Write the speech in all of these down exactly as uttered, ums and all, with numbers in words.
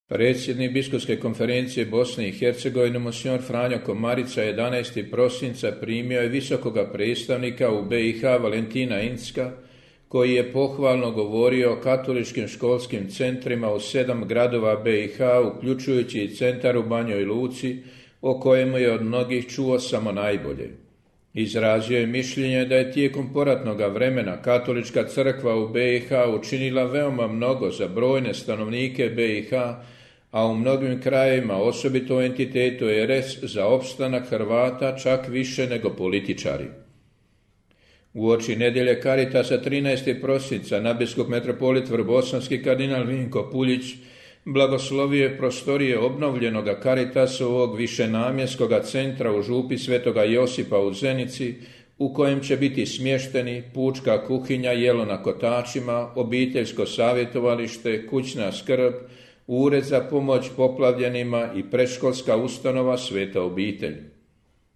Predsjednik Biskupske konferencije Bosne i Hercegovine monsignor Franjo Komarica jedanaestog prosinca primio je visokoga predstavnika u B i H Valentina Incka, koji je pohvalno govorio o katoličkim školskim centrima u sedam gradova B i H, uključujući i centar u Banjoj Luci, o kojemu je od mnogih čuo samo najbolje. Izrazio je mišljenje da je tijekom poratnog vremena katolička crkva u B i H učinila veoma mnogo za brojne stanovnike B i H, a u mnogim krajevima, osobito u entitetu R S, za opstanak Hrvata čak više nego političari. Uoči nedjelje Karitasa trinaestog prosinca nadbiskup metropolit vrbosanski kardinal Vinko Puljić blagoslovio je prostorije obnovljenoga Karitasovog višenamjenskoga centra u župi Svetoga Josipa u Zenici, u kojem će biti smješteni pučka kuhinja, jelo na kotačima, obiteljsko savjetovalište, kućna skrb, ured za pomoć poplavljenima i predškolska ustanova Sveta obitelj.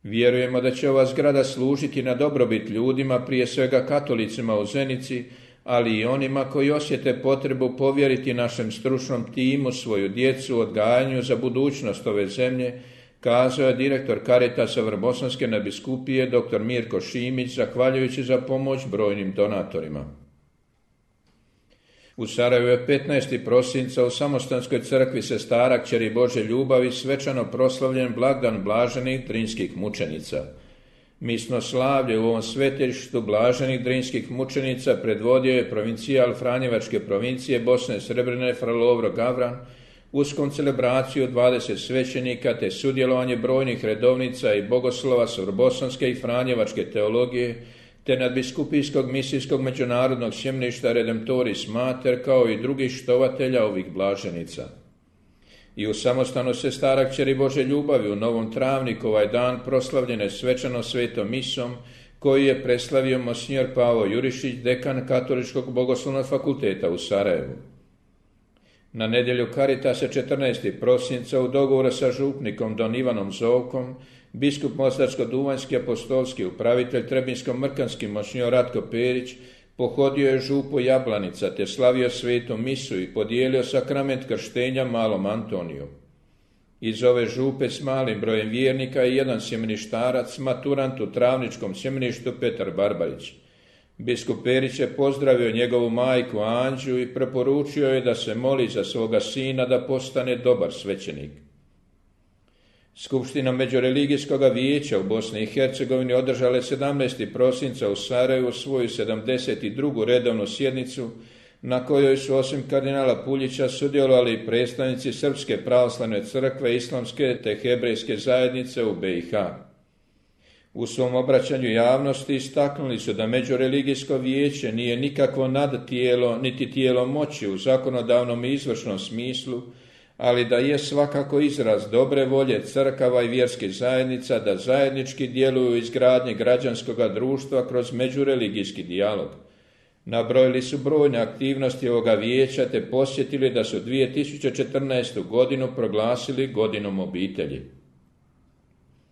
Vjerujemo da će ova zgrada služiti na dobrobit ljudima, prije svega katolicima u Zenici, ali i onima koji osjete potrebu povjeriti našem stručnom timu svoju djecu odgajanju za budućnost ove zemlje, kazao je direktor Karitasa Vrbosanske nadbiskupije dr. Mirko Šimić, zahvaljujući za pomoć brojnim donatorima. U Sarajevu je petnaestog prosinca u Samostanskoj crkvi Sestara Kćeri Božje ljubavi svečano proslavljen blagdan blaženih drinskih mučenica. Misno slavlje u ovom svetištu blaženih drinskih mučenica predvodio je provincijal Franjevačke provincije Bosne Srebrene fra Lovro Gavran uz koncelebraciju dvadeset svećenika te sudjelovanje brojnih redovnica i bogoslova s vrbosanske i franjevačke teologije te nadbiskupijskog misijskog međunarodnog sjemeništa Redemptoris Mater, kao i drugih štovatelja ovih blaženica. I u samostanu Sestara Kćeri Božje ljubavi u Novom Travniku ovaj dan proslavljene svečano svetom misom, koju je preslavio monsignor Pavo Jurišić, dekan Katoličkog bogoslovnog fakulteta u Sarajevu. Na nedjelju Karitasa četrnaestog prosinca u dogovoru sa župnikom don Ivanom Zovkom, biskup Mostarsko-duvanjski apostolski upravitelj Trebinsko-mrkanski monsignor Ratko Perić pohodio je župu Jablanica te slavio svetu misu i podijelio sakrament krštenja malom Antoniju. Iz ove župe s malim brojem vjernika je jedan sjemeništarac, maturant u Travničkom sjemeništu Petar Barbarić. Biskup Perić je pozdravio njegovu majku Anđu i preporučio je da se moli za svoga sina da postane dobar svećenik. Skupština Međureligijskog vijeća u Bosni i Hercegovini održala je sedamnaestog prosinca u Sarajevu svoju sedamdeset drugu redovnu sjednicu, na kojoj su osim kardinala Puljića sudjelovali i predstavnici Srpske pravoslavne crkve, islamske te hebrejske zajednice u B i H. U svom obraćanju javnosti istaknuli su da Međureligijsko vijeće nije nikakvo nadtijelo niti tijelo moći u zakonodavnom i izvršnom smislu, ali da je svakako izraz dobre volje crkava i vjerskih zajednica da zajednički djeluju u izgradnji građanskog društva kroz međureligijski dijalog. Nabrojili su brojne aktivnosti ovoga vijeća te posjetili da su dvije tisuće četrnaestu godinu proglasili godinom obitelji.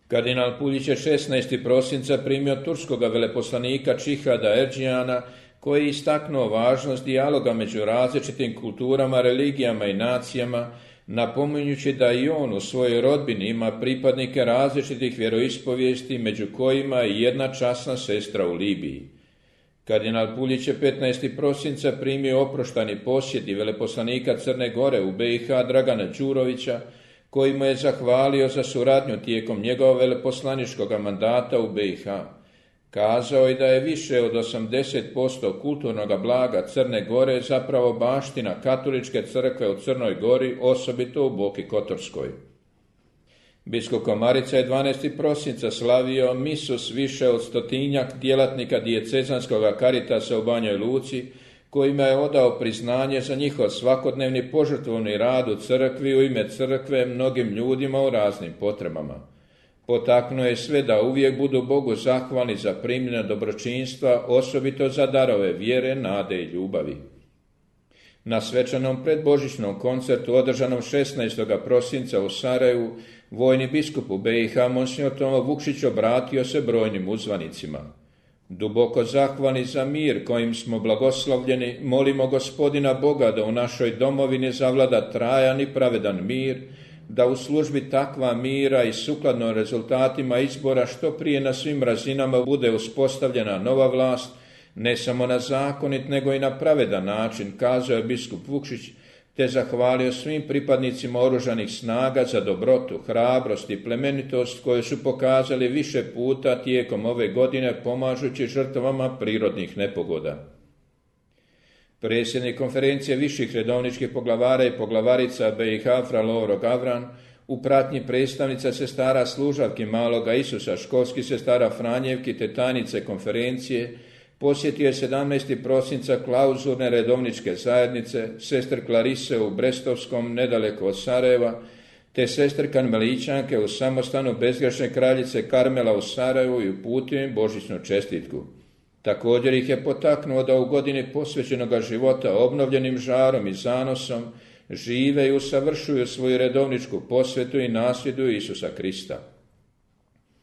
Kardinal Puljić je šesnaestog prosinca primio turskoga veleposlanika Čihada Erđijana, koji je istaknuo važnost dijaloga među različitim kulturama, religijama i nacijama, napominjući da i on u svojoj rodbini ima pripadnike različitih vjeroispovijesti, među kojima je jedna časna sestra u Libiji. Kardinal Puljić je petnaestog prosinca primio oproštani posjet i veleposlanika Crne Gore u B i H Dragana Đurovića, koji mu je zahvalio za suradnju tijekom njegovog veleposlaničkog mandata u B i H. Kazao je da je više od osamdeset posto kulturnog blaga Crne Gore zapravo baština katoličke crkve u Crnoj Gori, osobito u Boki Kotorskoj. Biskup Komarica je dvanaestog prosinca slavio misu s više od stotinjak djelatnika dijecezanskog Karitasa u Banjoj Luci, kojima je odao priznanje za njihov svakodnevni požrtvovni rad u crkvi u ime crkve mnogim ljudima u raznim potrebama. Potaknuo je sve da uvijek budu Bogu zahvalni za primljena dobročinstva, osobito za darove vjere, nade i ljubavi. Na svečanom predbožićnom koncertu održanom šesnaestog prosinca u Sarajevu, vojni biskup u B i H monsignor Tomo Vukšić obratio se brojnim uzvanicima. Duboko zahvalni za mir kojim smo blagoslovljeni, molimo Gospodina Boga da u našoj domovini zavlada trajan i pravedan mir, da u službi takva mira i sukladno rezultatima izbora što prije na svim razinama bude uspostavljena nova vlast, ne samo na zakonit nego i na pravedan način, kazao je biskup Vukšić, te zahvalio svim pripadnicima oružanih snaga za dobrotu, hrabrost i plemenitost koje su pokazali više puta tijekom ove godine pomažući žrtvama prirodnih nepogoda. Predsjednik konferencije viših redovničkih poglavara i poglavarica B i H fra Lovro Gavran u pratnji predstavnica sestara služavki Maloga Isusa, školskih sestara Franjevki te tajnice konferencije, posjetio je sedamnaestog prosinca klauzurne redovničke zajednice, sestr Klarise u Brestovskom, nedaleko od Sarajeva, te sestr Karmelićanke u samostanu bezgrešne kraljice Karmela u Sarajevu i uputio im božićnu čestitku. Također ih je potaknuo da u godini posvećenoga života obnovljenim žarom i zanosom žive i usavršuju svoju redovničku posvetu i nasljeduju Isusa Krista.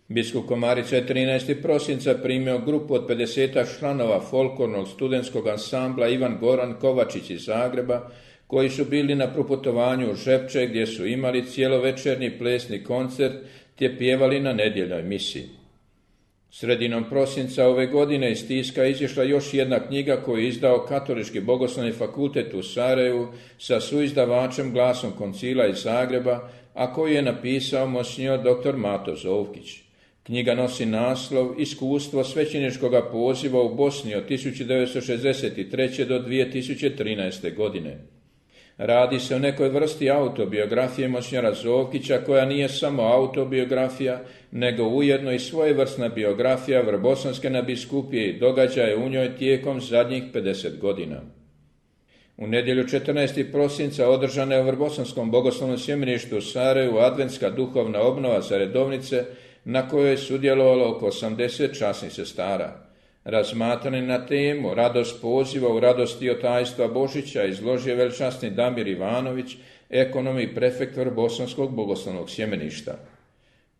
Biskup Komarica je trinaestog prosinca primio grupu od pedesetak članova folklornog studentskog ansambla Ivan Goran Kovačić iz Zagreba, koji su bili na proputovanju u Žepče gdje su imali cijelovečernji plesni koncert te pjevali na nedjeljnoj misi. Sredinom prosinca ove godine iz tiska izišla još jedna knjiga koju je izdao Katolički bogoslovni fakultet u Sarajevu sa suizdavačem Glasom koncila iz Zagreba, a koju je napisao monsignor doktor Mato Zovkić. Knjiga nosi naslov Iskustvo svećeničkog poziva u Bosni od tisuću devetsto šezdeset treće. do dvije tisuće trinaeste. godine. Radi se o nekoj vrsti autobiografije monsignora Zovkića koja nije samo autobiografija, nego ujedno i svojevrsna biografija Vrbosanske nadbiskupije i događaje u njoj tijekom zadnjih pedeset godina. U nedjelju četrnaestog prosinca održana je u Vrbosanskom bogoslovnom sjemeništu u Sarajevu adventska duhovna obnova za redovnice na kojoj je sudjelovalo oko osamdeset časnih sestara. Razmatrani na temu Radost poziva u radosti od tajstva Božića izložio velčasni Damir Ivanović, ekonom i prefekt Vrbosanskog bogoslovnog sjemeništa.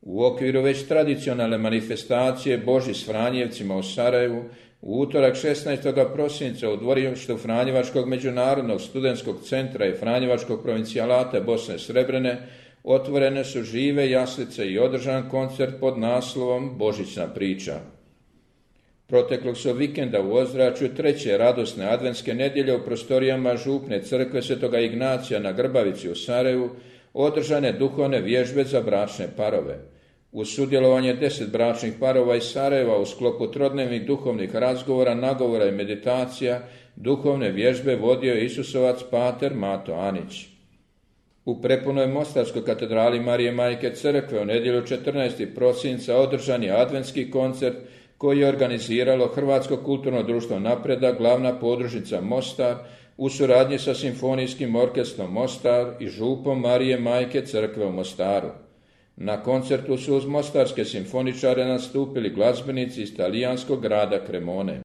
U okviru već tradicionalne manifestacije Boži s Franjevcima u Sarajevu, u utorak šesnaestog prosinca u dvorištu Franjevačkog međunarodnog studentskog centra i Franjevačkog provincijalata Bosne Srebrene otvorene su žive jaslice i održan koncert pod naslovom Božićna priča. Proteklog su vikenda u ozračju treće radosne adventske nedjelje u prostorijama župne crkve Svetoga Ignacija na Grbavici u Sarajevu održane duhovne vježbe za bračne parove. Uz sudjelovanje deset bračnih parova iz Sarajeva u sklopu trodnevnih duhovnih razgovora, nagovora i meditacija, duhovne vježbe vodio je Isusovac pater Mato Anić. U prepunoj Mostarskoj katedrali Marije Majke Crkve u nedjelju četrnaestog prosinca održan je adventski koncert koji je organiziralo Hrvatsko kulturno društvo Napredak, glavna podružnica Mostar, u suradnji sa Simfonijskim orkestrom Mostar i župom Marije Majke Crkve u Mostaru. Na koncertu su uz mostarske simfoničare nastupili glazbenici iz talijanskog grada Cremone.